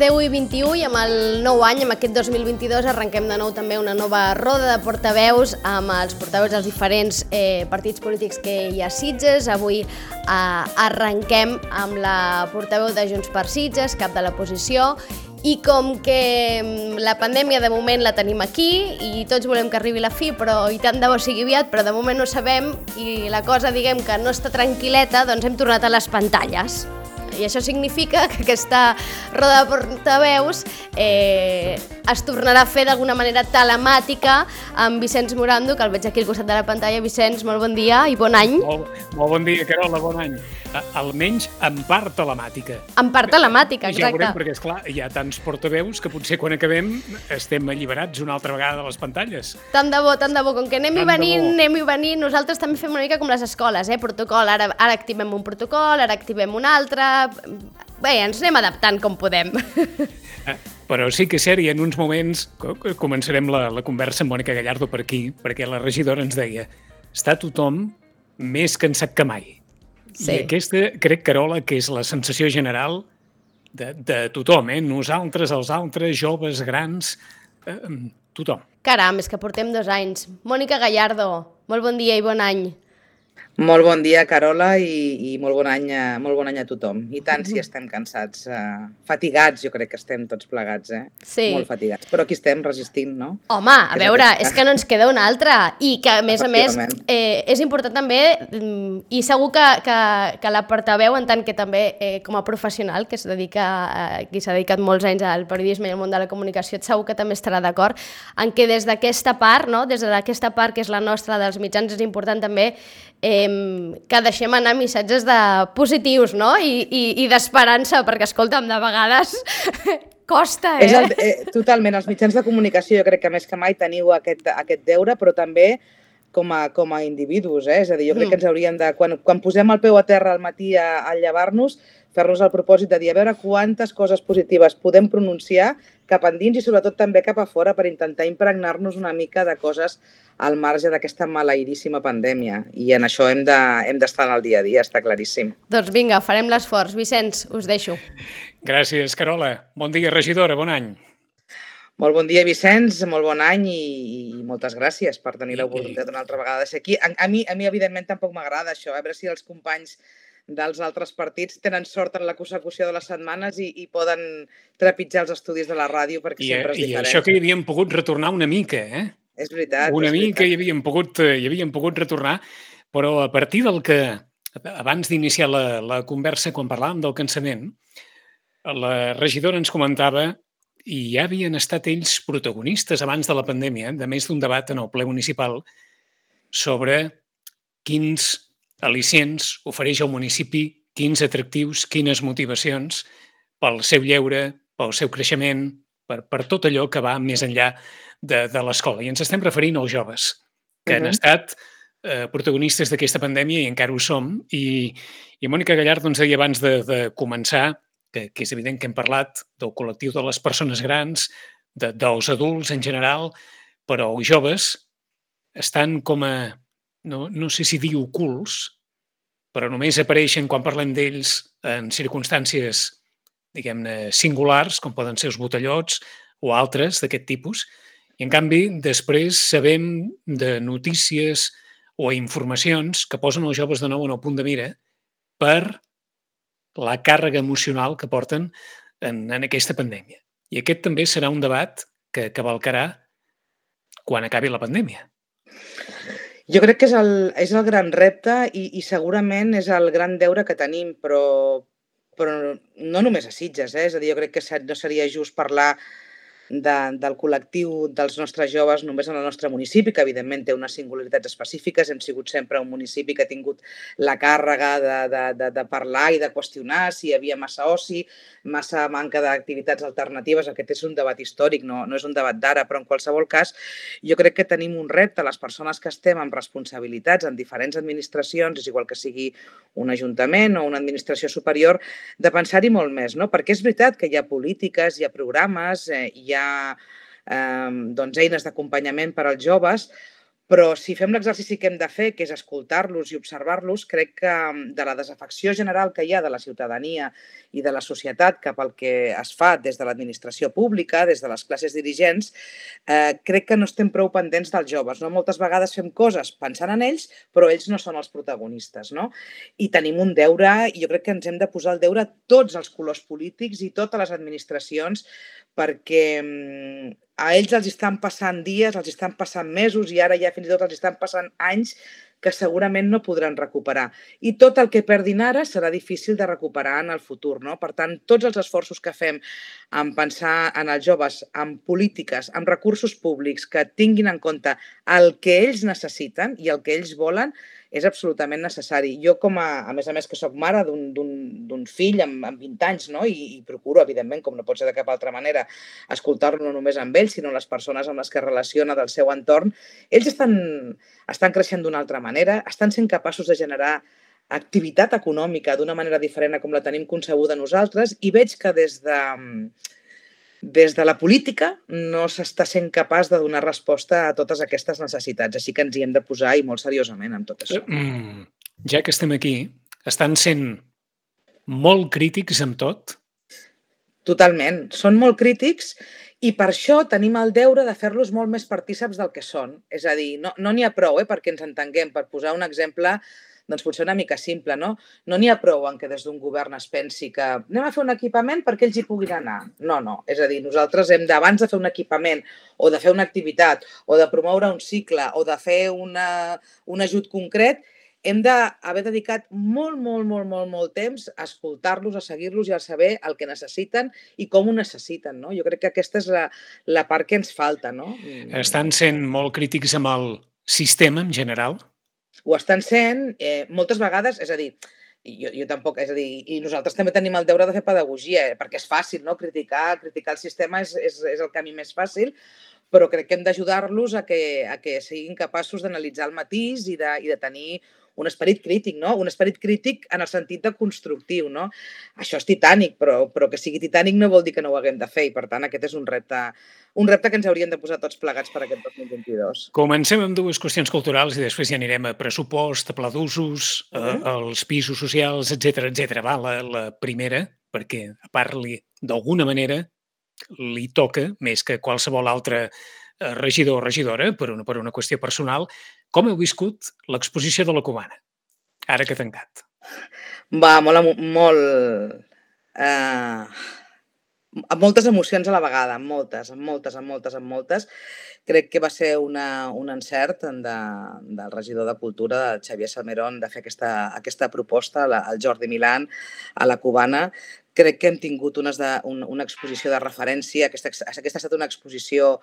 avui 21 i amb el nou any, amb aquest 2022, arrenquem de nou també una nova roda de portaveus amb els portaveus dels diferents partits polítics que hi ha a Sitges. Avui arrenquem amb la portaveu de Junts per Sitges, cap de l'oposició, i com que la pandèmia de moment la tenim aquí i tots volem que arribi la fi, però i tant de bo sigui aviat, però de moment no sabem i la cosa, diguem, que no està tranquil·leta, doncs hem tornat a les pantalles. I això significa que aquesta roda de portaveus es tornarà a fer d'alguna manera telemàtica amb Vicenç Morando, que el veig aquí al costat de la pantalla. Vicenç, molt bon dia i bon any. Molt bon dia, Carola, bon any. Almenys en part telemàtica. En part telemàtica, exacte. Ja veurem, perquè, esclar, hi ha tants portaveus que potser quan acabem estem alliberats una altra vegada de les pantalles. Tant de bo, com que anem i venint, nosaltres també fem una mica com les escoles, protocol, ara activem un protocol, ara activem un altre. Bé, ens anem adaptant com podem. Però sí que és cert, i en uns moments començarem la conversa amb Mònica Gallardo per aquí, perquè la regidora ens deia: està tothom més cansat que mai. Sí. I aquesta, crec, Carola, que és la sensació general de tothom, nosaltres, els altres, joves, grans, tothom. Caram, és que portem 2 anys. Mònica Gallardo, molt bon dia i bon any. Molt bon dia, Carola, i molt bon any a tothom. I tant, si estem cansats, fatigats, jo crec que estem tots plegats, Sí. Molt fatigats. Però aquí estem resistint, no? Home, a veure, és que no ens queda una altra. I que, a més, és important també, i segur que la portaveu, en tant que també com a professional, qui s'ha dedicat molts anys al periodisme i al món de la comunicació, segur que també estarà d'acord en que des d'aquesta part, no? Des d'aquesta part que és la nostra dels mitjans, és important també que deixem anar missatges positius, no? I d'esperança, perquè, escolta'm, de vegades costa, Totalment, els mitjans de comunicació jo crec que més que mai teniu aquest deure, però també com a individus, És a dir, jo crec que ens hauríem de, quan posem el peu a terra al matí a llevar-nos, fer-nos el propòsit de dir a veure quantes coses positives podem pronunciar cap endins i sobretot també cap a fora per intentar impregnar-nos una mica de coses al marge d'aquesta maleïdíssima pandèmia. I en això hem d'estar en el dia a dia, està claríssim. Doncs vinga, farem l'esforç. Vicenç, us deixo. Gràcies, Carola. Bon dia, regidora, bon any. Molt bon dia, Vicenç, molt bon any i moltes gràcies per tenir l'oportunitat una altra vegada de ser aquí. A mi evidentment, tampoc m'agrada això, a veure si els companys dels altres partits tenen sort en la consecució de les setmanes i poden trepitjar els estudis de la ràdio perquè sempre és diferent. I això que hi havíem pogut retornar una mica, És veritat. Una mica hi havíem pogut retornar, però a partir del que, abans d'iniciar la conversa, quan parlàvem del cansament, la regidora ens comentava, i ja havien estat ells protagonistes abans de la pandèmia, de més d'un debat en el ple municipal, sobre quins al·licients ofereix al municipi, quins atractius, quines motivacions pel seu lleure, pel seu creixement, per tot allò que va més enllà de l'escola. I ens estem referint als joves, que han estat protagonistes d'aquesta pandèmia i encara ho som. I Mònica Gallardo ens deia abans de començar, que és evident que hem parlat del col·lectiu de les persones grans, dels adults en general, però els joves estan com a, no sé si dir ocults, però només apareixen quan parlem d'ells en circumstàncies, diguem-ne, singulars, com poden ser els botellots o altres d'aquest tipus. I, en canvi, després sabem de notícies o informacions que posen els joves de nou en el punt de mira per la càrrega emocional que porten en aquesta pandèmia. I aquest també serà un debat que cavalcarà quan acabi la pandèmia. Jo crec que és el gran repte i segurament és el gran deure que tenim, però no només a Sitges, És a dir, jo crec que no seria just parlar del col·lectiu dels nostres joves només en el nostre municipi, que evidentment té unes singularitats específiques. Hem sigut sempre un municipi que ha tingut la càrrega de parlar i de qüestionar si hi havia massa oci, massa manca d'activitats alternatives. Aquest és un debat històric, no és un debat d'ara, però en qualsevol cas jo crec que tenim un repte, les persones que estem amb responsabilitats en diferents administracions, és igual que sigui un ajuntament o una administració superior, de pensar-hi molt més, perquè és veritat que hi ha polítiques, hi ha programes, hi ha eines d'acompanyament per als joves, Però si fem l'exercici que hem de fer, que és escoltar-los i observar-los, crec que de la desafecció general que hi ha de la ciutadania i de la societat cap al que es fa des de l'administració pública, des de les classes dirigents, crec que no estem prou pendents dels joves. No? Moltes vegades fem coses pensant en ells, però ells no són els protagonistes. No? I tenim un deure, i jo crec que ens hem de posar el deure tots els colors polítics i totes les administracions, perquè a ells els estan passant dies, els estan passant mesos i ara ja fins i tot els estan passant anys que segurament no podran recuperar. I tot el que perdin ara serà difícil de recuperar en el futur. No? Per tant, tots els esforços que fem en pensar en els joves, en polítiques, en recursos públics que tinguin en compte el que ells necessiten i el que ells volen, és absolutament necessari. Jo, a més, que soc mare d'un fill amb 20 anys, no? I procuro, evidentment, com no pot ser de cap altra manera, escoltar-lo no només amb ells, sinó les persones amb les que relaciona del seu entorn, ells estan creixent d'una altra manera, estan sent capaços de generar activitat econòmica d'una manera diferent a com la tenim concebuda nosaltres, i veig que des de la política no s'està sent capaç de donar resposta a totes aquestes necessitats. Així que ens hi hem de posar i molt seriosament amb tot això. Ja que estem aquí, estan sent molt crítics amb tot? Totalment. Són molt crítics i per això tenim el deure de fer-los molt més partíceps del que són. És a dir, no n'hi ha prou perquè ens entenguem. Per posar un exemple doncs potser una mica simple, no? No n'hi ha prou en què des d'un govern es pensi que anem a fer un equipament perquè ells hi puguin anar. No. És a dir, nosaltres hem abans de fer un equipament o de fer una activitat o de promoure un cicle o de fer un ajut concret, hem d'haver dedicat molt temps a escoltar-los, a seguir-los i a saber el que necessiten i com ho necessiten. No? Jo crec que aquesta és la part que ens falta. No? Estan sent molt crítics amb el sistema en general? Ho estan sent moltes vegades, és a dir, jo tampoc, és a dir, i nosaltres també tenim el deure de fer pedagogia, perquè és fàcil, no? Criticar el sistema és el camí més fàcil, però crec que hem d'ajudar-los a que siguin capaços d'analitzar el matís i de tenir un esperit crític, no? Un esperit crític en el sentit de constructiu, no? Això és titànic, però que sigui titànic no vol dir que no ho haguem de fer i, per tant, aquest és un repte que ens hauríem de posar tots plegats per aquest 2022. Comencem amb dues qüestions culturals i després ja anirem a pressupost, a pla d'usos, als pisos socials, etc. Va, la primera, perquè a part d'alguna manera li toca, més que qualsevol altre regidor o regidora, per una qüestió personal. Com heu viscut l'exposició de la Cubana, ara que ha tancat? Va, amb moltes emocions a la vegada, amb moltes. Crec que va ser un encert del regidor de Cultura, del Xavier Salmerón, de fer aquesta proposta al Jordi Milán, a la Cubana. Crec que hem tingut una exposició de referència. Aquesta ha estat una exposició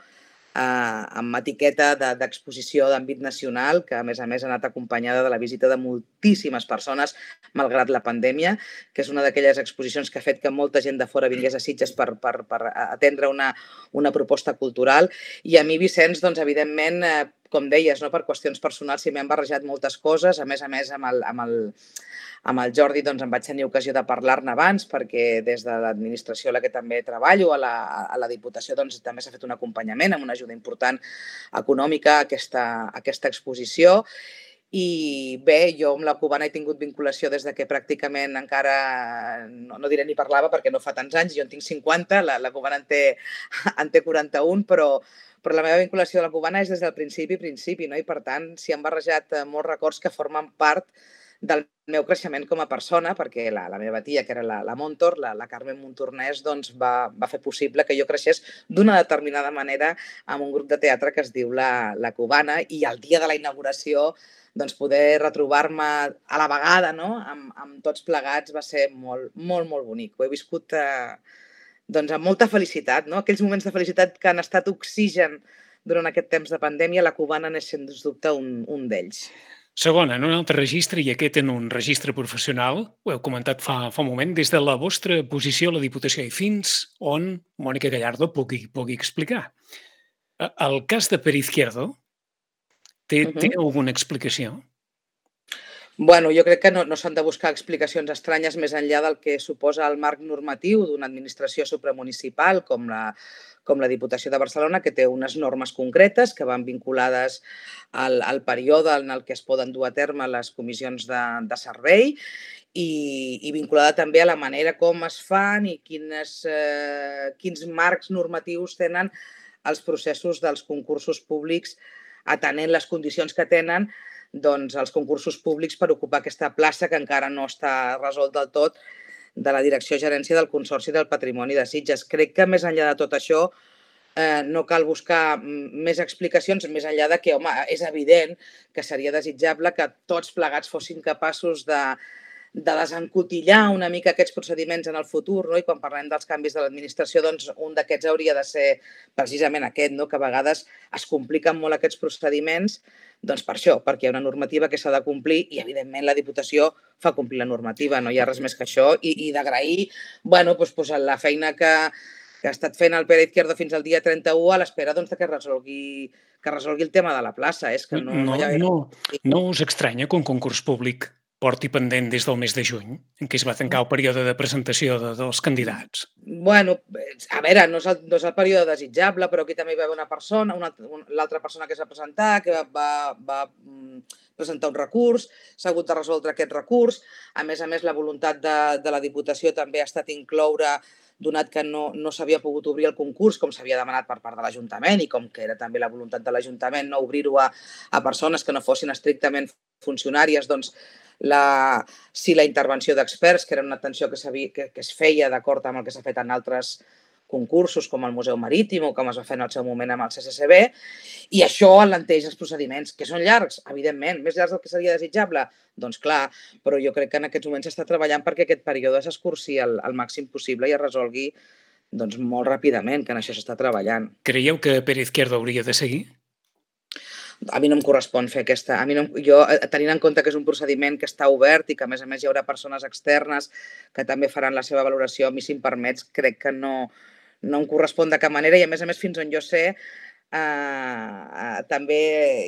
amb etiqueta d'exposició d'àmbit nacional, que a més ha anat acompanyada de la visita de moltíssimes persones, malgrat la pandèmia, que és una d'aquelles exposicions que ha fet que molta gent de fora vingués a Sitges per atendre una proposta cultural. I a mi, Vicenç, doncs, evidentment, com deies, no, per qüestions personals s'hi m'han barrejat moltes coses. A més, amb el Jordi doncs, em vaig tenir ocasió de parlar-ne abans, perquè des de l'administració a la que també treballo, a la Diputació, doncs, també s'ha fet un acompanyament amb una ajuda important econòmica a aquesta exposició. I bé, jo amb la Cubana he tingut vinculació des que pràcticament encara, no diré ni parlava perquè no fa tants anys, jo en tinc 50, la Cubana en té 41, però la meva vinculació a la Cubana és des del principi, no? I per tant s'hi han barrejat molts records que formen part del meu creixement com a persona, perquè la meva tia, que era la Montor, la Carmen Montornès, doncs va fer possible que jo creixés d'una determinada manera amb un grup de teatre que es diu la Cubana, i el dia de la inauguració doncs poder retrobar-me a la vegada, no? amb tots plegats va ser molt bonic. Ho he viscut doncs, amb molta felicitat, no? Aquells moments de felicitat que han estat oxigen durant aquest temps de pandèmia, la Cubana n'és sens dubte un d'ells. Segona, en un altre registre, i aquest en un registre professional, ho heu comentat fa un moment, des de la vostra posició a la Diputació i fins on Mònica Gallardo pugui explicar. El cas de Pere Izquierdo té alguna explicació? Bueno, jo crec que no s'han de buscar explicacions estranyes més enllà del que suposa el marc normatiu d'una administració supramunicipal com la Diputació de Barcelona, que té unes normes concretes que van vinculades al període en el que es poden dur a terme les comissions de servei i vinculada també a la manera com es fan i quins marcs normatius tenen els processos dels concursos públics atenent les condicions que tenen els concursos públics per ocupar aquesta plaça que encara no està resolt del tot de la Direcció Gerència del Consorci del Patrimoni de Sitges. Crec que més enllà de tot això no cal buscar més explicacions, més enllà de que, home, és evident que seria desitjable que tots plegats fossin capaços de desencotillar una mica aquests procediments en el futur, no? I quan parlem dels canvis de l'administració, doncs un d'aquests hauria de ser precisament aquest, no? Que a vegades es compliquen molt aquests procediments, doncs per això, perquè hi ha una normativa que s'ha de complir i, evidentment, la Diputació fa complir la normativa, no hi ha res més que això, i d'agrair la feina que ha estat fent el Pere Izquierdo fins al dia 31 a l'espera que resolgui el tema de la plaça. És que no us estranya que un concurs públic porti pendent des del mes de juny, en què es va tancar el període de presentació dels candidats? Bueno, a veure, no és el període desitjable, però aquí també hi va haver una persona, l'altra persona que es va presentar, que va presentar un recurs, s'ha hagut de resoldre aquest recurs. A més, la voluntat de la Diputació també ha estat incloure, donat que no s'havia pogut obrir el concurs com s'havia demanat per part de l'Ajuntament i com que era també la voluntat de l'Ajuntament no obrir-ho a persones que no fossin estrictament funcionàries, doncs si la intervenció d'experts, que era una atenció que es feia d'acord amb el que s'ha fet en altres concursos com el Museu Marítim o com es va fer en el seu moment amb el CCCB, i això alenteix els procediments, que són llargs, evidentment, més llargs del que seria desitjable, doncs clar, però jo crec que en aquests moments s'està treballant perquè aquest període s'escurci al màxim possible i es resolgui molt ràpidament, que en això s'està treballant. Creieu que Pere Izquierdo hauria de seguir? A mi no em correspon fer aquesta... Jo, tenint en compte que és un procediment que està obert i que, a més hi haurà persones externes que també faran la seva valoració, a mi, si em permets, crec que no em correspon de cap manera i, a més, fins on jo sé, també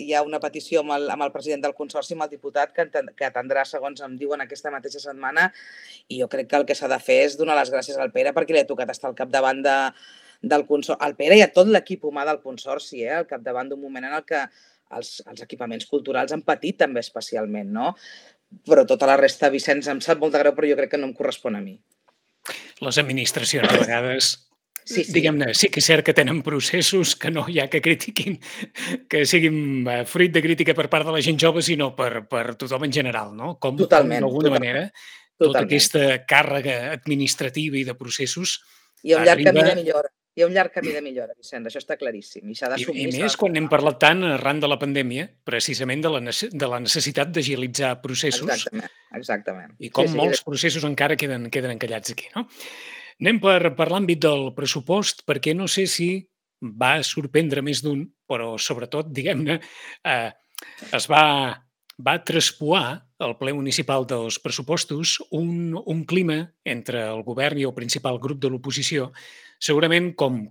hi ha una petició amb el president del Consorci, amb el diputat, que atendrà, segons em diuen, aquesta mateixa setmana, i jo crec que el que s'ha de fer és donar les gràcies al Pere perquè li ha tocat estar al capdavant del Consorci, al Pere i a tot l'equip humà del Consorci, al capdavant d'un moment en el que els equipaments culturals han patit també especialment, no? Però tota la resta, Vicenç, em sap molt de greu, però jo crec que no em correspon a mi. Les administracions, a vegades, sí. Diguem-ne, sí que és cert que tenen processos que no hi ha que critiquin, que siguin fruit de crítica per part de la gent jove, sinó per tothom en general, no? Com d'alguna manera, tota aquesta càrrega administrativa i de processos hi ha un llarg camí de millora. Hi ha un llarg camí de millora, Vicenç, això està claríssim. I més quan hem parlat tant, arran de la pandèmia, precisament de la necessitat d'agilitzar processos. Exactament. I com molts processos encara queden encallats aquí, no? Anem per l'àmbit del pressupost, perquè no sé si va sorprendre més d'un, però sobretot, diguem-ne, es va traspuar al ple municipal dels pressupostos un clima entre el govern i el principal grup de l'oposició, segurament com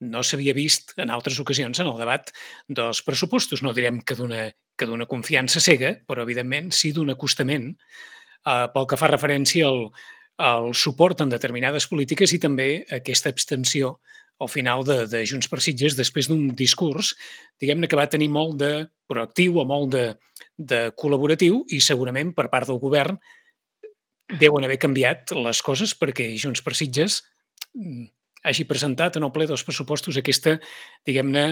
no s'havia vist en altres ocasions en el debat dels pressupostos. No direm que d'una confiança cega, però evidentment sí d'un acostament pel que fa referència al suport en determinades polítiques i també aquesta abstenció al final de Junts per Sitges després d'un discurs, diguem-ne, que va tenir molt de proactiu o molt de col·laboratiu i segurament per part del govern deuen haver canviat les coses perquè Junts per Sitges hagi presentat en el ple dels pressupostos aquesta, diguem-ne,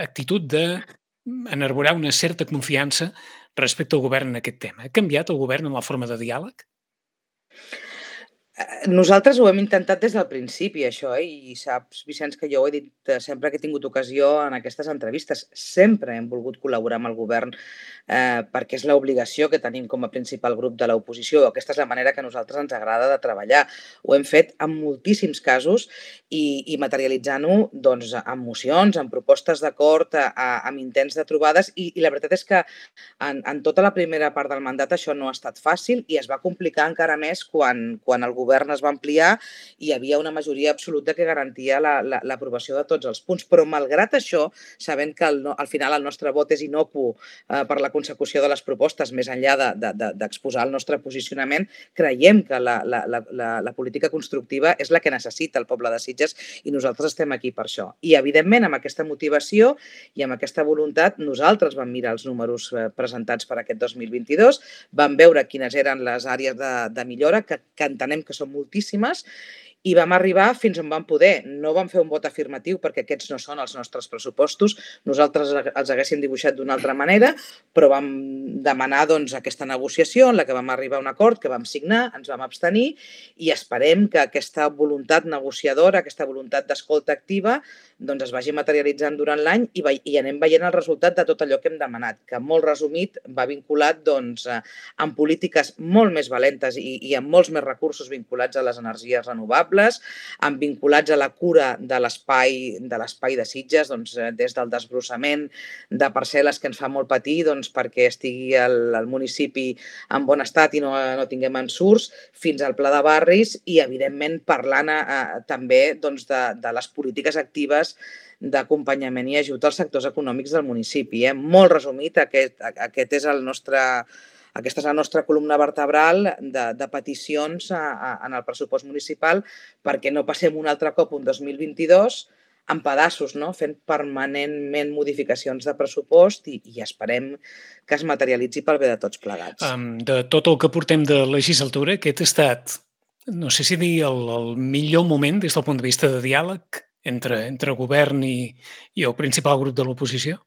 actitud d'enarborar una certa confiança respecte al govern en aquest tema. Ha canviat el govern en la forma de diàleg? Nosaltres ho hem intentat des del principi, això, i saps, Vicenç, que jo ho he dit sempre que he tingut ocasió en aquestes entrevistes. Sempre hem volgut col·laborar amb el govern perquè és l'obligació que tenim com a principal grup de l'oposició. Aquesta és la manera que a nosaltres ens agrada de treballar. Ho hem fet en moltíssims casos i materialitzant-ho doncs, amb mocions, amb propostes d'acord, amb intents de trobades i la veritat és que en tota la primera part del mandat això no ha estat fàcil i es va complicar encara més quan el govern govern es va ampliar i hi havia una majoria absoluta que garantia l'aprovació de tots els punts. Però malgrat això, sabent que al final el nostre vot és inocu per la consecució de les propostes, més enllà d'exposar el nostre posicionament, creiem que la política constructiva és la que necessita el poble de Sitges i nosaltres estem aquí per això. I, evidentment, amb aquesta motivació i amb aquesta voluntat, nosaltres vam mirar els números presentats per aquest 2022, vam veure quines eren les àrees de millora, que entenem que són moltíssimes, i vam arribar fins on vam poder. No vam fer un vot afirmatiu perquè aquests no són els nostres pressupostos. Nosaltres els haguéssim dibuixat d'una altra manera, però vam demanar aquesta negociació en la que vam arribar a un acord, que vam signar, ens vam abstenir i esperem que aquesta voluntat negociadora, aquesta voluntat d'escolta activa, es vagi materialitzant durant l'any i anem veient el resultat de tot allò que hem demanat, que molt resumit va vinculat amb polítiques molt més valentes i amb molts més recursos vinculats a les energies renovables, amb vinculats a la cura de l'espai de Sitges, des del desbrossament de parcel·les que ens fa molt patir perquè estigui el municipi en bon estat i no tinguem ensurts, fins al pla de barris i, evidentment, parlant també de les polítiques actives d'acompanyament i ajut als sectors econòmics del municipi. Molt resumit, aquesta és la nostra columna vertebral de peticions en el pressupost municipal perquè no passem un altre cop un 2022 en pedaços, fent permanentment modificacions de pressupost i esperem que es materialitzi pel bé de tots plegats. De tot el que portem de legislatura, aquest ha estat, no sé si dir, el millor moment des del punt de vista de diàleg entre govern i el principal grup de l'oposició?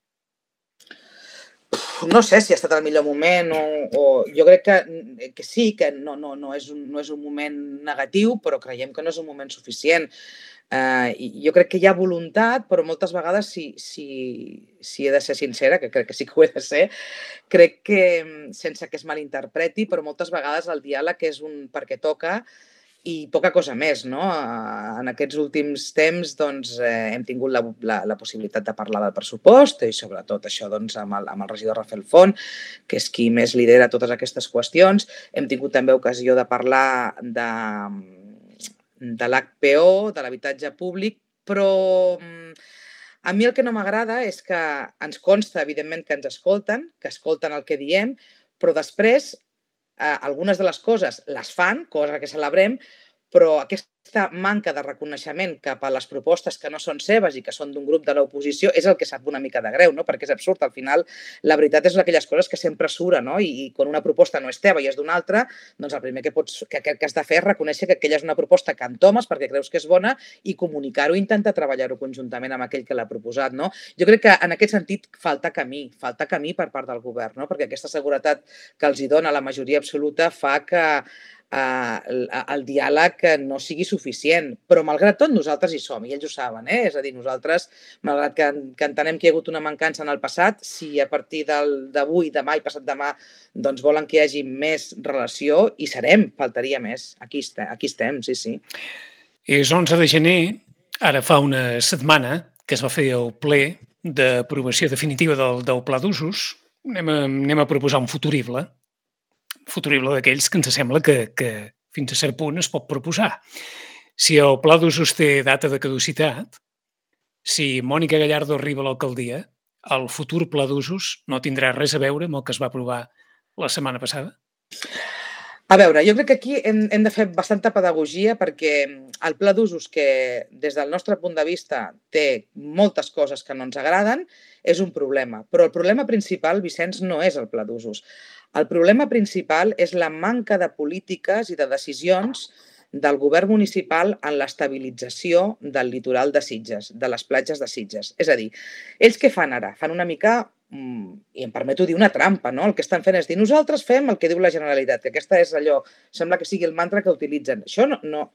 No sé si ha estat el millor moment o jo crec que sí, que no és un moment negatiu, però creiem que no és un moment suficient. Jo crec que hi ha voluntat, però moltes vegades, si he de ser sincera, que crec que sí que ho he de ser, crec que, sense que es malinterpreti, però moltes vegades el diàleg és un perquè toca i poca cosa més, no? En aquests últims temps hem tingut la possibilitat de parlar del pressupost i sobretot això amb el regidor Rafael Font, que és qui més lidera totes aquestes qüestions. Hem tingut també ocasió de parlar de l'HPO, de l'habitatge públic, però a mi el que no m'agrada és que ens consta, evidentment, que ens escolten, que escolten el que diem, però després algunes de les coses les fan, cosa que celebrem, però aquesta manca de reconeixement cap a les propostes que no són seves i que són d'un grup de l'oposició és el que sap una mica de greu, no? Perquè és absurd. Al final, la veritat és aquelles coses que sempre sura, no? I quan una proposta no és teva i és d'una altra, el primer que has de fer és reconèixer que aquella és una proposta que entomes perquè creus que és bona i comunicar-ho i intentar treballar-ho conjuntament amb aquell que l'ha proposat, no? Jo crec que en aquest sentit falta camí per part del govern, no? Perquè aquesta seguretat que els hi dona la majoria absoluta fa que el diàleg no sigui suficient, però malgrat tot nosaltres hi som i ells ho saben, és a dir, nosaltres, malgrat que entenem que hi ha hagut una mancança en el passat, si a partir d'avui, demà i passat demà volen que hi hagi més relació, hi serem, faltaria més, aquí estem, sí. És 11 de gener, ara fa una setmana que es va fer el ple d'aprovació definitiva del Pla d'Usos. Anem a proposar un futurible d'aquells que ens sembla que fins a cert punt es pot proposar. Si el Pla d'Usos té data de caducitat, si Mònica Gallardo arriba a l'alcaldia, el futur Pla d'Usos no tindrà res a veure amb el que es va aprovar la setmana passada? A veure, jo crec que aquí hem de fer bastanta pedagogia perquè el Pla d'Usos, que des del nostre punt de vista té moltes coses que no ens agraden, és un problema. Però el problema principal, Vicenç, no és el Pla d'Usos. El problema principal és la manca de polítiques i de decisions del govern municipal en l'estabilització del litoral de Sitges, de les platges de Sitges. És a dir, ells què fan ara? Fan una mica, i em permeto dir, una trampa, no? El que estan fent és dir, nosaltres fem el que diu la Generalitat, que aquesta és allò, sembla que sigui el mantra que utilitzen. Això no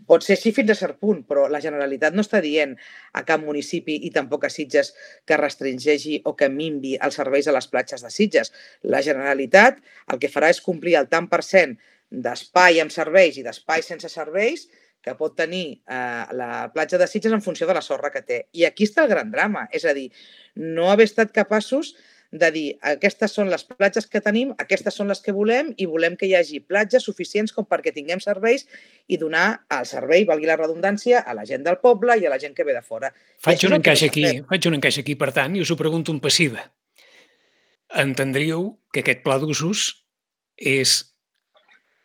pot ser així fins a cert punt, però la Generalitat no està dient a cap municipi i tampoc a Sitges que restringeixi o que minvi els serveis a les platges de Sitges. La Generalitat el que farà és complir el tant per cent d'espai amb serveis i d'espai sense serveis que pot tenir la platja de Sitges en funció de la sorra que té. I aquí està el gran drama, és a dir, no haver estat capaços de dir aquestes són les platges que tenim, aquestes són les que volem i volem que hi hagi platges suficients com perquè tinguem serveis i donar el servei, valgui la redundància, a la gent del poble i a la gent que ve de fora. Faig un encaix aquí, per tant, i us ho pregunto en passiva. Entendríeu que aquest pla d'usos és,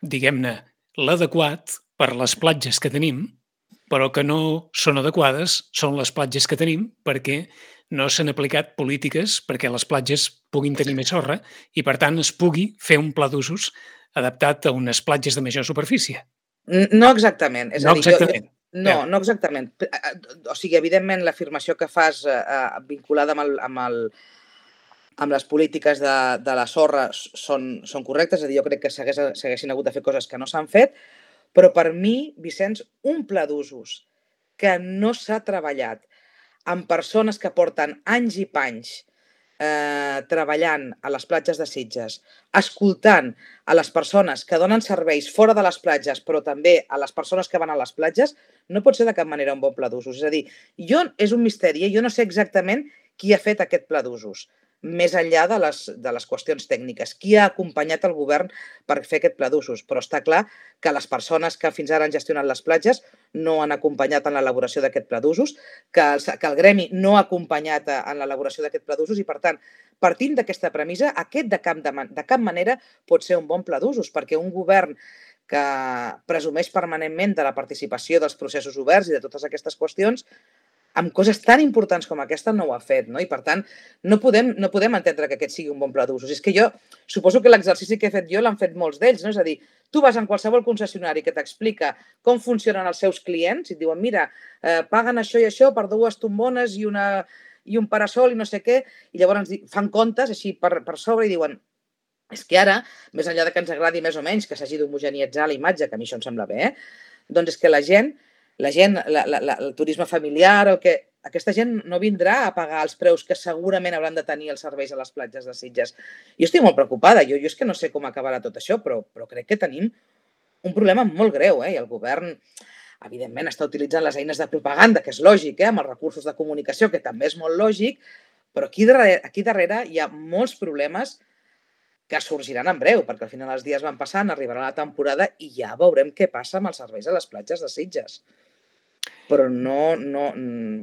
diguem-ne, l'adequat per les platges que tenim, però que no són adequades, són les platges que tenim, perquè no s'han aplicat polítiques perquè les platges puguin tenir més sorra i, per tant, es pugui fer un pla d'usos adaptat a unes platges de major superfície. No exactament. És no a dir, exactament. No exactament. O sigui, evidentment, l'afirmació que fas vinculada amb les polítiques de la sorra són correctes. És a dir, jo crec que s'haguessin hagut de fer coses que no s'han fet, però per mi, Vicenç, un pla d'usos que no s'ha treballat amb persones que porten anys i panys treballant a les platges de Sitges, escoltant a les persones que donen serveis fora de les platges, però també a les persones que van a les platges, no pot ser de cap manera un bon pla d'usos. És a dir, és un misteri, jo no sé exactament qui ha fet aquest pla d'usos, més enllà de les qüestions tècniques. Qui ha acompanyat el govern per fer aquest pla d'usos? Però està clar que les persones que fins ara han gestionat les platges no han acompanyat en l'elaboració d'aquest pla d'usos, que el gremi no ha acompanyat en l'elaboració d'aquest pla d'usos i, per tant, partint d'aquesta premissa, aquest de cap manera pot ser un bon pla d'usos, perquè un govern que presumeix permanentment de la participació dels processos oberts i de totes aquestes qüestions, amb coses tan importants com aquesta no ho ha fet, no? I, per tant, no podem entendre que aquest sigui un bon pla d'usos. És que jo suposo que l'exercici que he fet jo l'han fet molts d'ells, no? És a dir, tu vas en qualsevol concessionari que t'explica com funcionen els seus clients i et diuen, mira, paguen això i això per 2 tombones i un parasol i no sé què, i llavors fan comptes així per sobre i diuen, és que ara, més enllà de que ens agradi més o menys que s'hagi d'homogeneïtzar la imatge, que a mi això em sembla bé, doncs és que la gent, el turisme familiar, aquesta gent no vindrà a pagar els preus que segurament hauran de tenir els serveis a les platges de Sitges. Jo estic molt preocupada, jo és que no sé com acabarà tot això, però crec que tenim un problema molt greu, i el govern, evidentment, està utilitzant les eines de propaganda, que és lògic, amb els recursos de comunicació, que també és molt lògic, però aquí darrere hi ha molts problemes que sorgiran en breu, perquè al final els dies van passant, arribarà la temporada i ja veurem què passa amb els serveis a les platges de Sitges. Però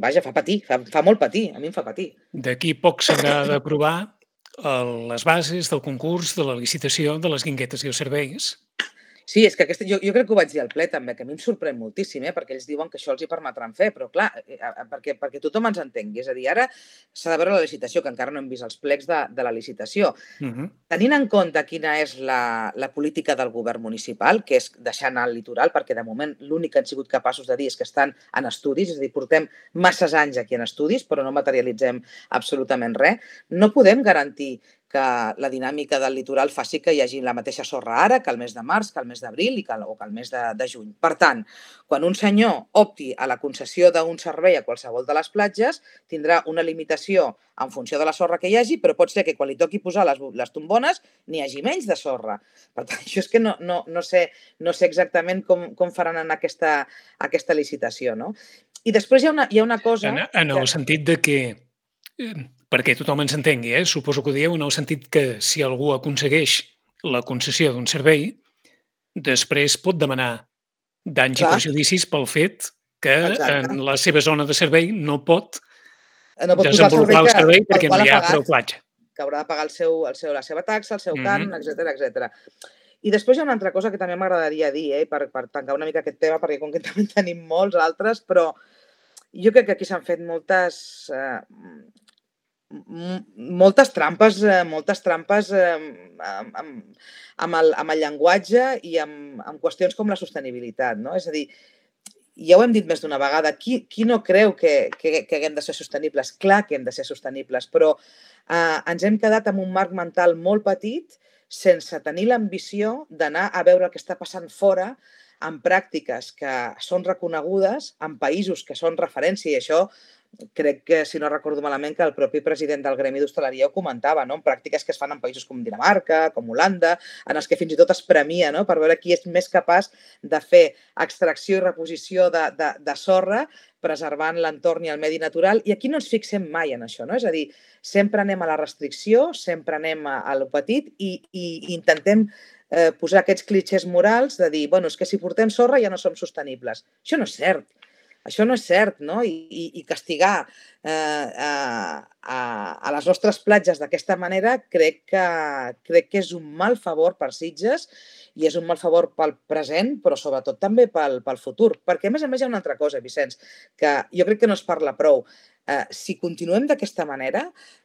vaja, fa patir, fa molt patir, a mi em fa patir. D'aquí poc s'haurà d'aprovar les bases del concurs de la licitació de les guinguetes i els serveis. Sí, és que jo crec que ho vaig dir al ple també, que a mi em sorprèn moltíssim, perquè ells diuen que això els hi permetran fer, però clar, perquè tothom ens entengui, és a dir, ara s'ha de veure la licitació, que encara no hem vist els plecs de la licitació. Tenint en compte quina és la política del govern municipal, que és deixar anar el litoral, perquè de moment l'únic que han sigut capaços de dir és que estan en estudis, és a dir, portem masses anys aquí en estudis, però no materialitzem absolutament res, no podem garantir que la dinàmica del litoral faci que hi hagi la mateixa sorra ara que el mes de març, que el mes d'abril o que el mes de juny. Per tant, quan un senyor opti a la concessió d'un servei a qualsevol de les platges, tindrà una limitació en funció de la sorra que hi hagi, però pot ser que quan li toqui posar les tombones n'hi hagi menys de sorra. Per tant, jo és que no sé exactament com faran en aquesta licitació, no? I després hi ha una cosa... En el sentit de que... perquè tothom ens entengui, suposo que ho dieu en el sentit que si algú aconsegueix la concessió d'un servei, després pot demanar danys i perjudicis pel fet que en la seva zona de servei no pot desenvolupar el servei perquè no hi ha prou platja. Que haurà de pagar la seva taxa, el seu cant, etc. I després hi ha una altra cosa que també m'agradaria dir, per tancar una mica aquest tema, perquè com que també tenim molts altres, però jo crec que aquí s'han fet moltes trampes amb el llenguatge i amb qüestions com la sostenibilitat, no? És a dir, ja ho hem dit més d'una vegada, qui no creu que haguem de ser sostenibles? Clar que hem de ser sostenibles, però ens hem quedat amb un marc mental molt petit sense tenir l'ambició d'anar a veure el que està passant fora amb pràctiques que són reconegudes en països que són referència, i això crec que, si no recordo malament, que el propi president del Gremi d'Hostaleria ho comentava, no? En pràctiques que es fan en països com Dinamarca, com Holanda, en els que fins i tot es premia, no? Per veure qui és més capaç de fer extracció i reposició de sorra, preservant l'entorn i el medi natural, i aquí no ens fixem mai en això, no? És a dir, sempre anem a la restricció, sempre anem a lo petit i intentem posar aquests clitxers morals de dir, bueno, és que si portem sorra ja no som sostenibles. Això no és cert. Això no és cert, no? I castigar a les nostres platges d'aquesta manera crec que és un mal favor per Sitges i és un mal favor pel present, però sobretot també pel futur. Perquè, a més, hi ha una altra cosa, Vicenç, que jo crec que no es parla prou. Si continuem d'aquesta manera,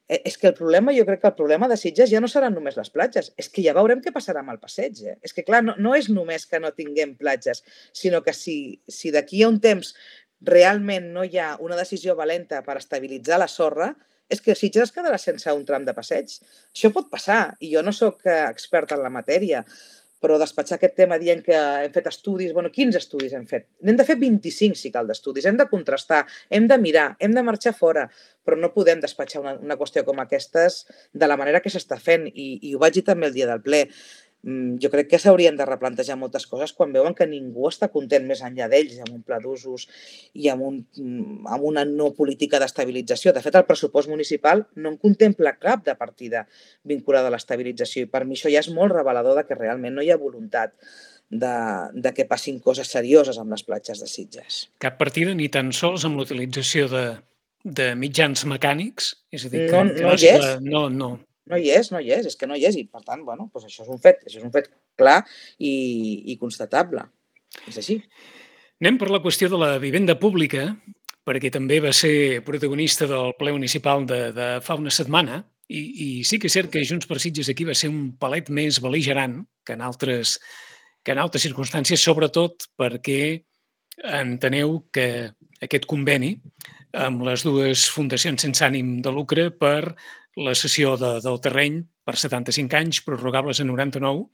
és que jo crec que el problema de Sitges ja no seran només les platges, és que ja veurem què passarà amb el passeig. És que, clar, no és només que no tinguem platges, sinó que si d'aquí a un temps realment no hi ha una decisió valenta per estabilitzar la sorra, és que Sitges es quedarà sense un tram de passeig. Això pot passar, i jo no sóc experta en la matèria, però despatxar aquest tema dient que hem fet estudis, bueno, quins estudis hem fet? N'hem de fer 25, si cal, d'estudis. Hem de contrastar, hem de mirar, hem de marxar fora, però no podem despatxar una qüestió com aquestes de la manera que s'està fent, i ho vaig dir també el dia del ple. Jo crec que s'haurien de replantejar moltes coses quan veuen que ningú està content més enllà d'ells, amb un pla d'usos i amb una no política d'estabilització. De fet, el pressupost municipal no en contempla cap de partida vinculada a l'estabilització, i per mi això ja és molt revelador de que realment no hi ha voluntat de que passin coses serioses amb les platges de Sitges. Cap partida ni tan sols amb l'utilització de mitjans mecànics? És a dir, no hi és. No. No hi és, és que no hi és, i per tant, bueno, doncs això és un fet clar i constatable. És així. Anem per la qüestió de la vivenda pública, perquè també va ser protagonista del ple municipal de fa una setmana, i sí que és cert que Junts per Sitges aquí va ser un palet més bel·ligerant que en altres circumstàncies, sobretot perquè enteneu que aquest conveni amb les dues fundacions sense ànim de lucre per la cessió del terreny per 75 anys, prorrogables a 99,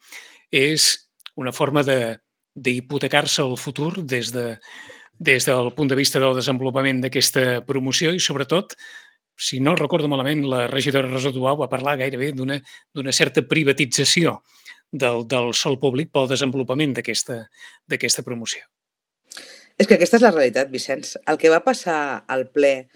és una forma d'hipotecar-se el futur des del punt de vista del desenvolupament d'aquesta promoció, i sobretot, si no recordo malament, la regidora Rosa Duau va parlar gairebé d'una certa privatització del sòl públic pel desenvolupament d'aquesta promoció. És que aquesta és la realitat, Vicenç. El que va passar al ple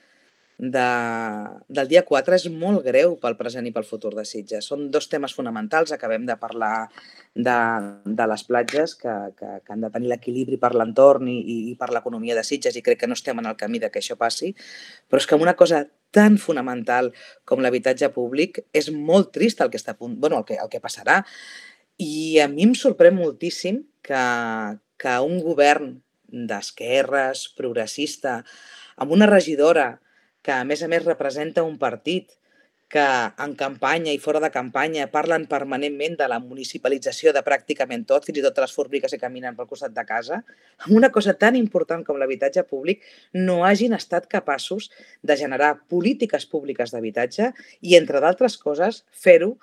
del dia 4 és molt greu pel present i pel futur de Sitges. Són dos temes fonamentals. Acabem de parlar de les platges que han de tenir l'equilibri per l'entorn i per l'economia de Sitges, i crec que no estem en el camí de que això passi, però és que amb una cosa tan fonamental com l'habitatge públic és molt trist el que passarà. I a mi em sorprèn moltíssim que un govern d'esquerres, progressista, amb una regidora que a més representa un partit que en campanya i fora de campanya parlen permanentment de la municipalització de pràcticament tot, fins i tot les fàbriques que caminen pel costat de casa, amb una cosa tan important com l'habitatge públic, no hagin estat capaços de generar polítiques públiques d'habitatge i, entre d'altres coses, fer-ho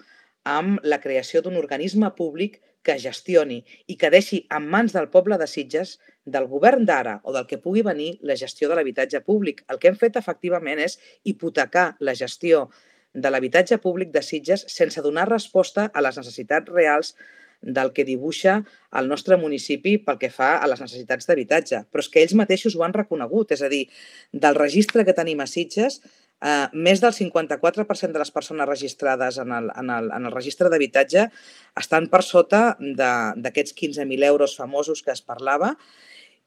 amb la creació d'un organisme públic que gestioni i que deixi en mans del poble de Sitges, del govern d'ara o del que pugui venir, la gestió de l'habitatge públic. El que hem fet, efectivament, és hipotecar la gestió de l'habitatge públic de Sitges sense donar resposta a les necessitats reals del que dibuixa el nostre municipi pel que fa a les necessitats d'habitatge. Però és que ells mateixos ho han reconegut. És a dir, del registre que tenim a Sitges, més del 54% de les persones registrades en el registre d'habitatge estan per sota d'aquests 15.000 euros famosos que es parlava,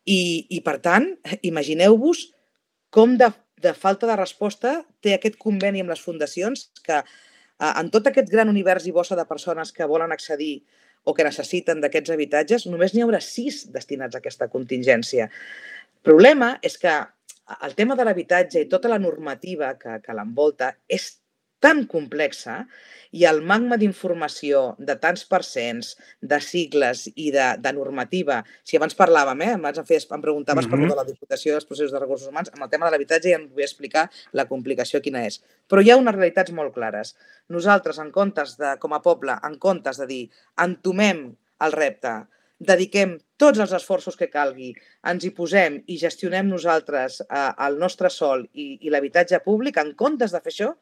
i per tant, imagineu-vos com de falta de resposta té aquest conveni amb les fundacions, que en tot aquest gran univers i bossa de persones que volen accedir o que necessiten d'aquests habitatges, només n'hi haurà 6 destinats a aquesta contingència. El problema és que el tema de l'habitatge i tota la normativa que l'envolta és tan complexa, i el magma d'informació, de tants percents, de sigles i de normativa. Si abans parlàvem, abans em preguntaves per la Diputació dels Processos de Recursos Humans, amb el tema de l'habitatge ja em vull explicar la complicació quina és. Però hi ha unes realitats molt clares. Nosaltres, com a poble, en comptes de dir entomem el repte, dediquem tots els esforços que calgui, ens hi posem i gestionem nosaltres el nostre sòl i l'habitatge públic, en comptes de fer això,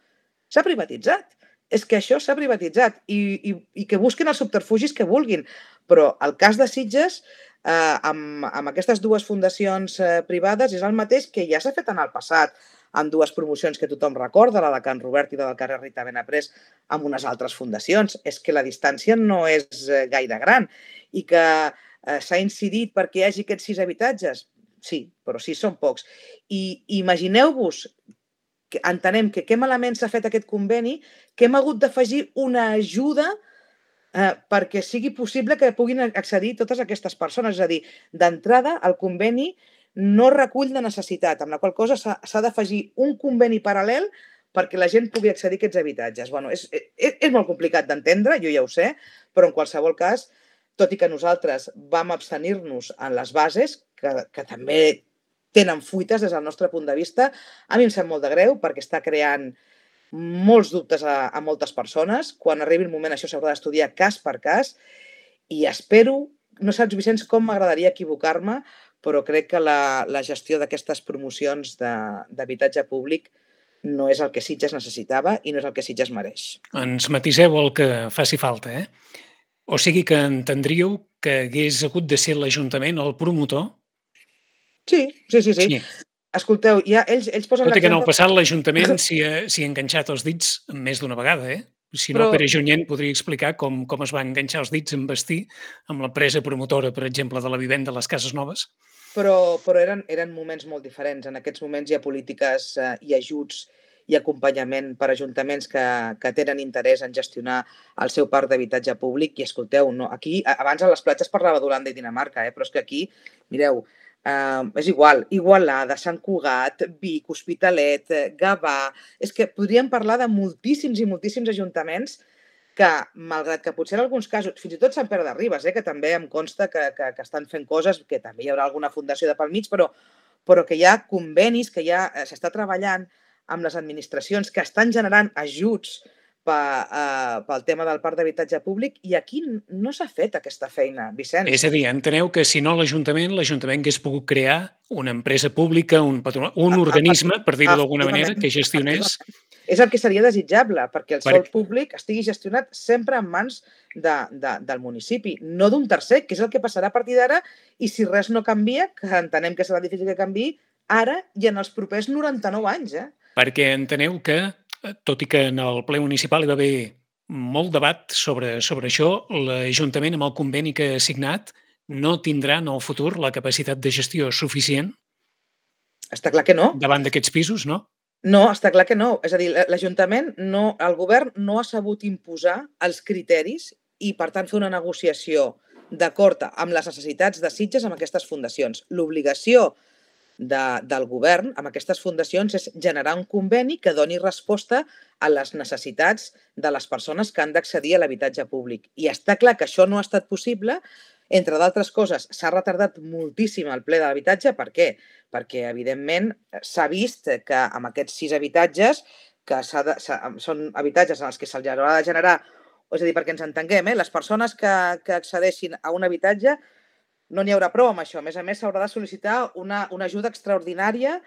s'ha privatitzat. És que això s'ha privatitzat i que busquin els subterfugis que vulguin. Però el cas de Sitges, amb aquestes dues fundacions privades, és el mateix que ja s'ha fet en el passat, amb dues promocions que tothom recorda, la de Can Robert i la del carrer Rita Benaprés, amb unes altres fundacions. És que la distància no és gaire gran i que s'ha incidit perquè hi hagi aquests 6 habitatges. Sí, però 6 són pocs. I imagineu-vos, entenem que malament s'ha fet aquest conveni, que hem hagut d'afegir una ajuda perquè sigui possible que puguin accedir totes aquestes persones. És a dir, d'entrada, el conveni no recull de necessitat, amb la qual cosa s'ha d'afegir un conveni paral·lel perquè la gent pugui accedir a aquests habitatges. Bueno, és molt complicat d'entendre, jo ja ho sé, però en qualsevol cas, tot i que nosaltres vam abstenir-nos en les bases, que també tenen fuites des del nostre punt de vista, a mi em sap molt de greu perquè està creant molts dubtes a moltes persones. Quan arribi el moment això s'haurà d'estudiar cas per cas i espero, no saps, Vicenç, com m'agradaria equivocar-me, però crec que la gestió d'aquestes promocions d'habitatge públic no és el que Sitges necessitava i no és el que Sitges mereix. Ens matiseu el que faci falta, eh? O sigui que entendríeu que hagués hagut de ser l'Ajuntament el promotor? Sí. Escolteu, ja ells posen... Tot i que en el passat l'Ajuntament s'hi ha enganxat els dits més d'una vegada, eh? Si no, Pere Junyent podria explicar com es van enganxar els dits en vestir amb l'empresa promotora, per exemple, de la vivenda a les cases noves. Però eren moments molt diferents. En aquests moments hi ha polítiques i ajuts i acompanyament per ajuntaments que tenen interès en gestionar el seu parc d'habitatge públic. I escolteu, no, aquí, abans a les platges parlava d'Holanda i Dinamarca, però és que aquí, mireu, és igual, Igualada, Sant Cugat, Vic, Hospitalet, Gavà... És que podríem parlar de moltíssims i moltíssims ajuntaments que, malgrat que potser en alguns casos, fins i tot Sant Pere de Ribes, que també em consta que estan fent coses, que també hi haurà alguna fundació de pel mig, però que hi ha convenis, que ja s'està treballant amb les administracions, que estan generant ajuts pel tema del parc d'habitatge públic, i aquí no s'ha fet aquesta feina, Vicenç. És a dir, enteneu que si no l'Ajuntament hagués pogut crear una empresa pública, un organisme, per dir-ho d'alguna manera, que gestionés... És el que seria desitjable, perquè el sòl públic estigui gestionat sempre en mans del municipi, no d'un tercer, que és el que passarà a partir d'ara, i si res no canvia, que entenem que serà difícil que canviï, ara i en els propers 99 anys. Perquè enteneu que, tot i que en el ple municipal hi va haver molt debat sobre això, l'Ajuntament, amb el conveni que ha signat, no tindrà en el futur la capacitat de gestió suficient? Està clar que no. Davant d'aquests pisos, no? No, està clar que no. És a dir, l'Ajuntament, el govern no ha sabut imposar els criteris i, per tant, fer una negociació d'acord amb les necessitats de Sitges amb aquestes fundacions. L'obligació del govern amb aquestes fundacions és generar un conveni que doni resposta a les necessitats de les persones que han d'accedir a l'habitatge públic. I està clar que això no ha estat possible. Entre d'altres coses, s'ha retardat moltíssim el ple de l'habitatge. Per què? Perquè, evidentment, s'ha vist que amb aquests 6 habitatges, que són habitatges en els que se'ls haurà de generar, és a dir, perquè ens entenguem, les persones que accedeixin a un habitatge no n'hi haurà prou amb això. A més, s'haurà de sol·licitar una ajuda extraordinària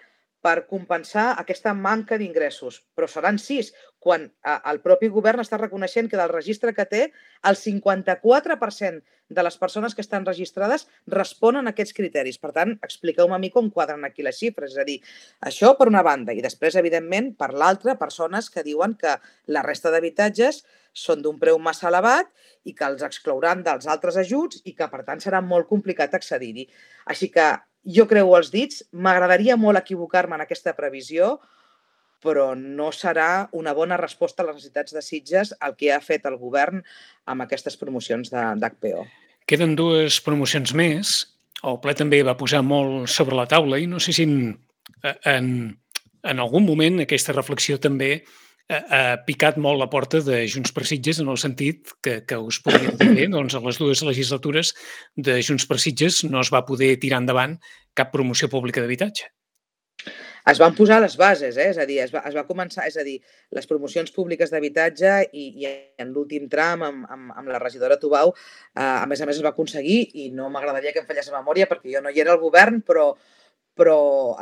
per compensar aquesta manca d'ingressos. Però seran 6, quan el propi govern està reconeixent que del registre que té, el 54% de les persones que estan registrades responen a aquests criteris. Per tant, expliqueu-me a mi com quadren aquí les xifres. És a dir, això per una banda, i després, evidentment, per l'altra, persones que diuen que la resta d'habitatges són d'un preu massa elevat i que els exclouran dels altres ajuts i que, per tant, serà molt complicat accedir-hi. Així que jo creuo els dits, m'agradaria molt equivocar-me en aquesta previsió, però no serà una bona resposta a les necessitats de Sitges el que ha fet el govern amb aquestes promocions d'HPO. Queden 2 promocions més. El ple també va posar molt sobre la taula i no sé si en algun moment aquesta reflexió també ha picat molt la porta de Junts per Sitges, en el sentit que us podria dir, doncs a les 2 legislatures de Junts per Sitges no es va poder tirar endavant cap promoció pública d'habitatge. Es van posar les bases, és a dir, es va començar, és a dir, les promocions públiques d'habitatge i en l'últim tram amb la regidora Tubau, a més es va aconseguir, i no m'agradaria que em fallés la memòria perquè jo no hi era al govern, però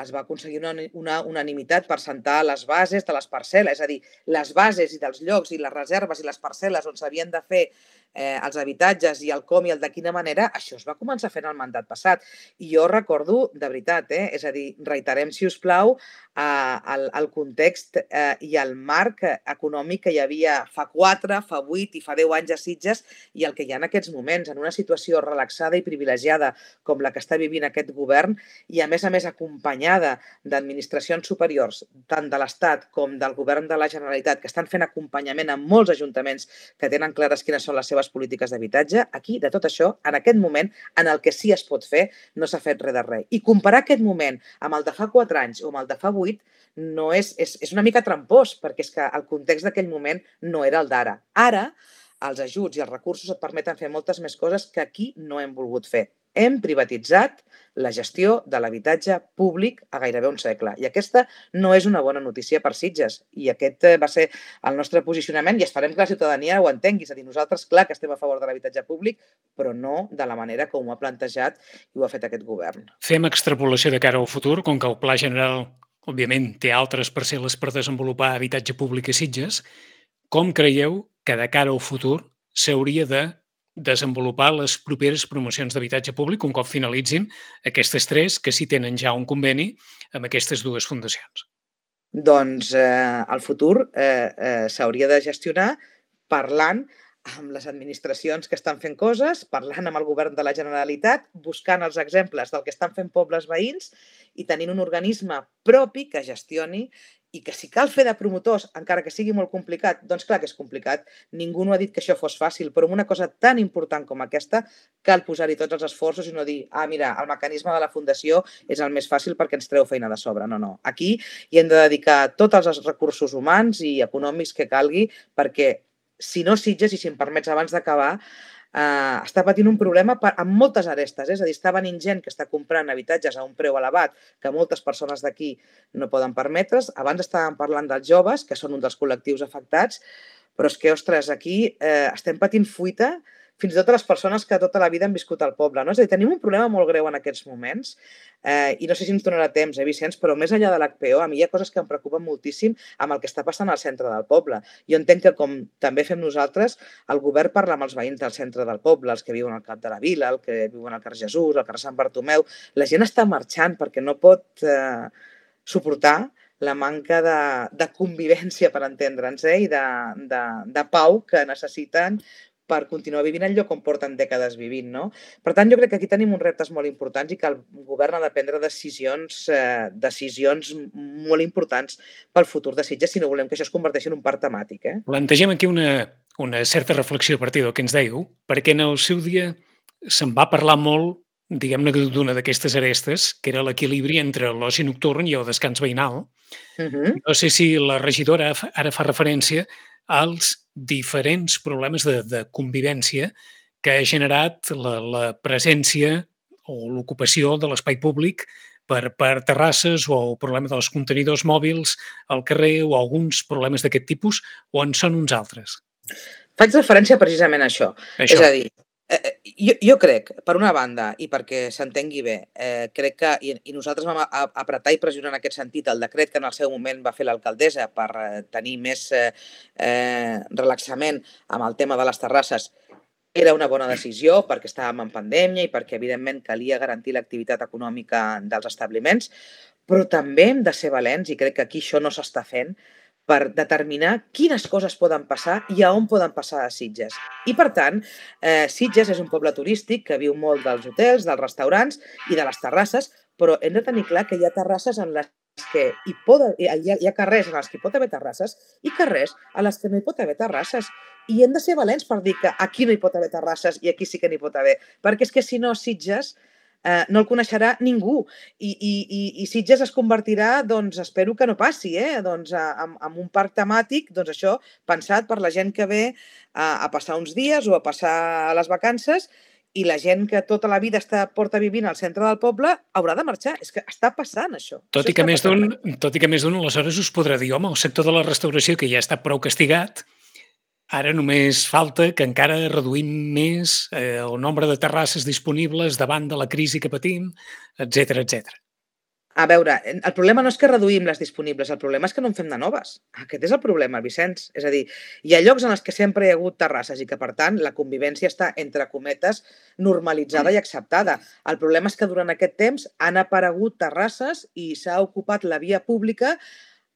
es va aconseguir una unanimitat per sentar les bases de les parcel·les, és a dir, les bases i dels llocs i les reserves i les parcel·les on s'havien de fer els habitatges i el com i el de quina manera, això es va començar fent el mandat passat. I jo recordo, de veritat, és a dir, reiterem, si us plau, el context i el marc econòmic que hi havia fa 4, fa 8 i fa 10 anys a Sitges i el que hi ha en aquests moments, en una situació relaxada i privilegiada com la que està vivint aquest govern i, a més acompanyada d'administracions superiors, tant de l'Estat com del govern de la Generalitat, que estan fent acompanyament a molts ajuntaments que tenen clares quines són les seves polítiques d'habitatge. Aquí, de tot això, en aquest moment, en el que sí es pot fer, no s'ha fet res de res. I comparar aquest moment amb el de fa 4 anys o amb el de fa 8 no és una mica trampós, perquè és que el context d'aquell moment no era el d'ara. Ara, els ajuts i els recursos et permeten fer moltes més coses que aquí no hem volgut fer. Hem privatitzat la gestió de l'habitatge públic a gairebé un segle. I aquesta no és una bona notícia per Sitges. I aquest va ser el nostre posicionament i esperem que la ciutadania ho entengui. És a dir, nosaltres, clar que estem a favor de l'habitatge públic, però no de la manera com ho ha plantejat i ho ha fet aquest govern. Fem extrapolació de cara al futur, com que el Pla General, òbviament, té altres parcel·les per desenvolupar habitatge públic a Sitges. Com creieu que de cara al futur s'hauria de desenvolupar les properes promocions d'habitatge públic un cop finalitzin aquestes 3 que sí tenen ja un conveni amb aquestes 2 fundacions? Doncs el futur s'hauria de gestionar parlant amb les administracions que estan fent coses, parlant amb el govern de la Generalitat, buscant els exemples del que estan fent pobles veïns i tenint un organisme propi que gestioni i que si cal fer de promotors, encara que sigui molt complicat, doncs clar que és complicat. Ningú no ha dit que això fos fàcil, però en una cosa tan important com aquesta cal posar-hi tots els esforços i no dir, mira, el mecanisme de la fundació és el més fàcil perquè ens treu feina de sobre. No. Aquí hi hem de dedicar tots els recursos humans i econòmics que calgui perquè, si no Sitges, i si em permets abans d'acabar, està patint un problema amb moltes arestes. És a dir, està venint gent que està comprant habitatges a un preu elevat que moltes persones d'aquí no poden permetre's. Abans estàvem parlant dels joves, que són un dels col·lectius afectats, però és que, ostres, aquí estem patint fuita fins i tot a les persones que tota la vida han viscut al poble. No? És a dir, tenim un problema molt greu en aquests moments i no sé si ens donarà temps, Vicenç, però més enllà de l'HPO, a mi hi ha coses que em preocupen moltíssim amb el que està passant al centre del poble. Jo entenc que, com també fem nosaltres, el govern parla amb els veïns del centre del poble, els que viuen al cap de la vila, els que viuen al carrer Jesús, al carrer Sant Bartomeu. La gent està marxant perquè no pot suportar la manca de convivència, per entendre'ns, i de pau que necessiten per continuar vivint el lloc on porten dècades vivint. No? Per tant, jo crec que aquí tenim uns reptes molt importants i que el govern ha de prendre decisions molt importants pel futur de Sitges si no volem que això es converteixi en un parc temàtic. Plantegem aquí una certa reflexió a partir del que ens dèieu, perquè en el seu dia se'n va parlar molt, diguem-ne, d'una d'aquestes arestes, que era l'equilibri entre l'oci nocturn i el descans veïnal. No sé si la regidora ara fa referència als diferents problemes de convivència que ha generat la presència o l'ocupació de l'espai públic per terrasses o el problema dels contenidors mòbils al carrer o alguns problemes d'aquest tipus, o en són uns altres? Faig referència precisament a això. És a dir, jo crec, per una banda, i perquè s'entengui bé, crec que, i nosaltres vam apretar i pressionar en aquest sentit el decret que en el seu moment va fer l'alcaldessa per tenir més relaxament amb el tema de les terrasses, era una bona decisió perquè estàvem en pandèmia i perquè, evidentment, calia garantir l'activitat econòmica dels establiments, però també hem de ser valents, i crec que aquí això no s'està fent, per determinar quines coses poden passar i a on poden passar a Sitges. I, per tant, Sitges és un poble turístic que viu molt dels hotels, dels restaurants i de les terrasses, però hem de tenir clar que hi ha terrasses en les que hi ha carrers en els que hi pot haver terrasses i carrers en els que no hi pot haver terrasses. I hem de ser valents per dir que aquí no hi pot haver terrasses i aquí sí que n'hi pot haver, perquè és que si no Sitges no el coneixerà ningú i Sitges es convertirà, doncs espero que no passi, doncs en un parc temàtic, doncs això, pensat per la gent que ve a passar uns dies o a passar les vacances i la gent que tota la vida porta vivint al centre del poble haurà de marxar. És que està passant, això. Tot i que més d'un aleshores us podrà dir, home, el sector de la restauració, que ja està prou castigat, ara només falta que encara reduïm més el nombre de terrasses disponibles davant de la crisi que patim, etc etc. A veure, el problema no és que reduïm les disponibles, el problema és que no en fem de noves. Aquest és el problema, Vicenç. És a dir, hi ha llocs en els que sempre hi ha hagut terrasses i que, per tant, la convivència està, entre cometes, normalitzada i acceptada. El problema és que durant aquest temps han aparegut terrasses i s'ha ocupat la via pública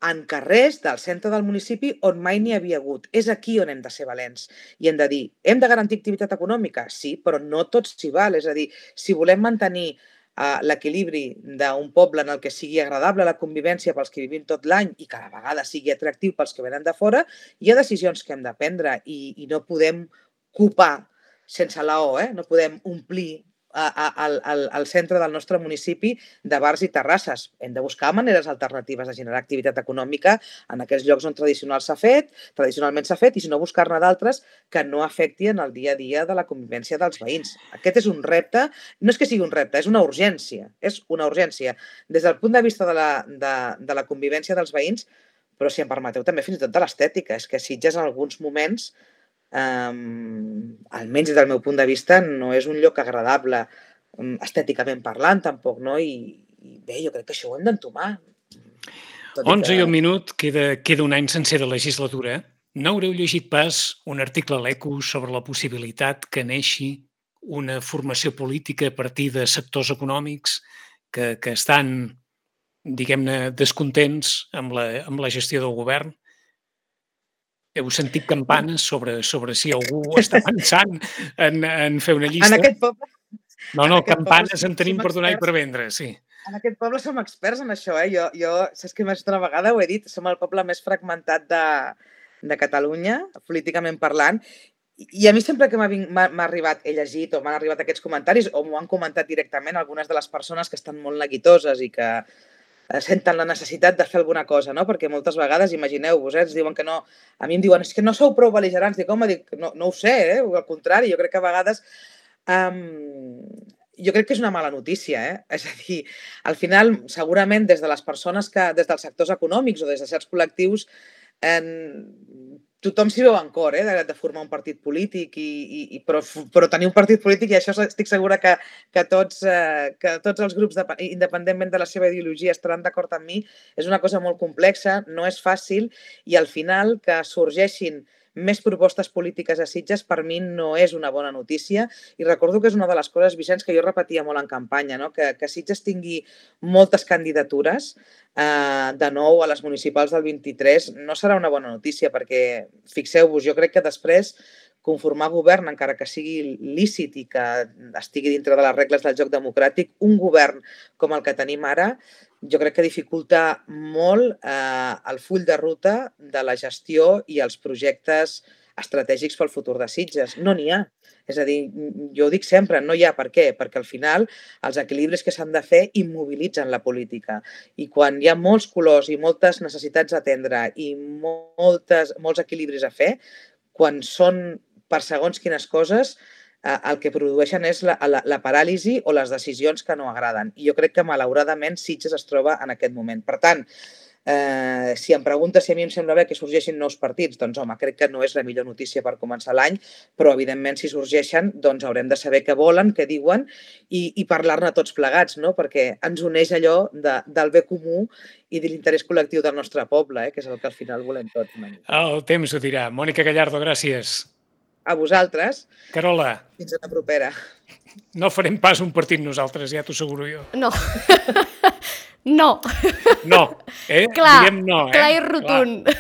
en carrers del centre del municipi on mai n'hi havia hagut. És aquí on hem de ser valents i hem de dir, hem de garantir activitat econòmica? Sí, però no tot s'hi val. És a dir, si volem mantenir l'equilibri d'un poble en el que sigui agradable la convivència pels que vivim tot l'any i que a la vegada sigui atractiu pels que venen de fora, hi ha decisions que hem de prendre i no podem copar sense la O, no podem omplir al centre del nostre municipi de bars i terrasses. Hem de buscar maneres alternatives de generar activitat econòmica en aquells llocs on tradicionalment s'ha fet, i si no buscar-ne d'altres que no afectin el dia a dia de la convivència dels veïns. Aquest és un repte, no és que sigui un repte, és una urgència. És una urgència des del punt de vista de la convivència dels veïns, però si em permeteu també fins i tot de l'estètica. És que Sitges en alguns moments, almenys des del meu punt de vista, no és un lloc agradable estèticament parlant tampoc, no? I bé, jo crec que això ho hem d'entomar. 11 i un minut, queda un any sencer de legislatura. No haureu llegit pas un article a l'Eco sobre la possibilitat que neixi una formació política a partir de sectors econòmics que estan, diguem-ne, descontents amb la gestió del govern? Heu sentit campanes sobre si algú està pensant en fer una llista? En aquest poble... No, campanes en tenim per donar i per vendre, sí. En aquest poble som experts en això, Jo, saps que més d'una vegada ho he dit, som el poble més fragmentat de Catalunya, políticament parlant, i a mi sempre que m'ha arribat, he llegit o m'han arribat aquests comentaris, o m'ho han comentat directament algunes de les persones que estan molt neguitoses i que senten la necessitat de fer alguna cosa, no? Perquè moltes vegades, imagineu-vos, ens diuen que no... A mi em diuen, és que no sou prou bel·ligerants. Dic, home, no ho sé, al contrari, jo crec que a vegades... Jo crec que és una mala notícia, És a dir, al final, segurament, des de les persones des dels sectors econòmics o des de certs col·lectius, tothom s'hi veu en cor, de formar un partit polític, però tenir un partit polític, i això estic segura que tots els grups, independentment de la seva ideologia, estaran d'acord amb mi, és una cosa molt complexa, no és fàcil, i al final que sorgeixin més propostes polítiques a Sitges per mi no és una bona notícia, i recordo que és una de les coses, Vicenç, que jo repetia molt en campanya, no? Que Sitges tingui moltes candidatures de nou a les municipals del 23 no serà una bona notícia, perquè fixeu-vos, jo crec que després conformar govern, encara que sigui lícit i que estigui dintre de les regles del joc democràtic, un govern com el que tenim ara, jo crec que dificulta molt el full de ruta de la gestió i els projectes estratègics pel futur de Sitges. No n'hi ha. És a dir, jo ho dic sempre, no hi ha. Per què? Perquè al final els equilibris que s'han de fer immobilitzen la política. I quan hi ha molts colors i moltes necessitats a atendre i molts equilibris a fer, quan són per segons quines coses, el que produeixen és la paràlisi o les decisions que no agraden. I jo crec que, malauradament, Sitges es troba en aquest moment. Per tant, si em preguntes si a mi em sembla bé que sorgeixin nous partits, doncs, home, crec que no és la millor notícia per començar l'any, però, evidentment, si sorgeixen, doncs haurem de saber què volen, què diuen i parlar-ne tots plegats, no? Perquè ens uneix allò del bé comú i de l'interès col·lectiu del nostre poble, que és el que al final volem tots. El temps ho dirà. Mònica Gallardo, gràcies. A vosaltres. Carola. Fins a la propera. No farem pas un partit nosaltres, ja t'ho asseguro jo. No. No. No, Clar, diguem no, clar i rotund.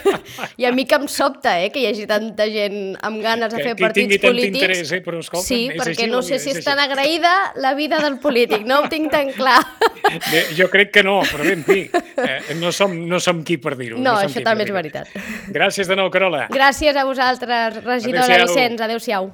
I a mi que em sobta, que hi hagi tanta gent amb ganes de fer partits polítics. Interès, però escolta, sí, perquè no sé si és tan agraïda la vida del polític, no ho tinc tan clar. Jo crec que no, però ben fi, no som qui per dir-ho. No, això també és veritat. Gràcies de nou, Carola. Gràcies a vosaltres, regidora Vicenç. Adéu-siau.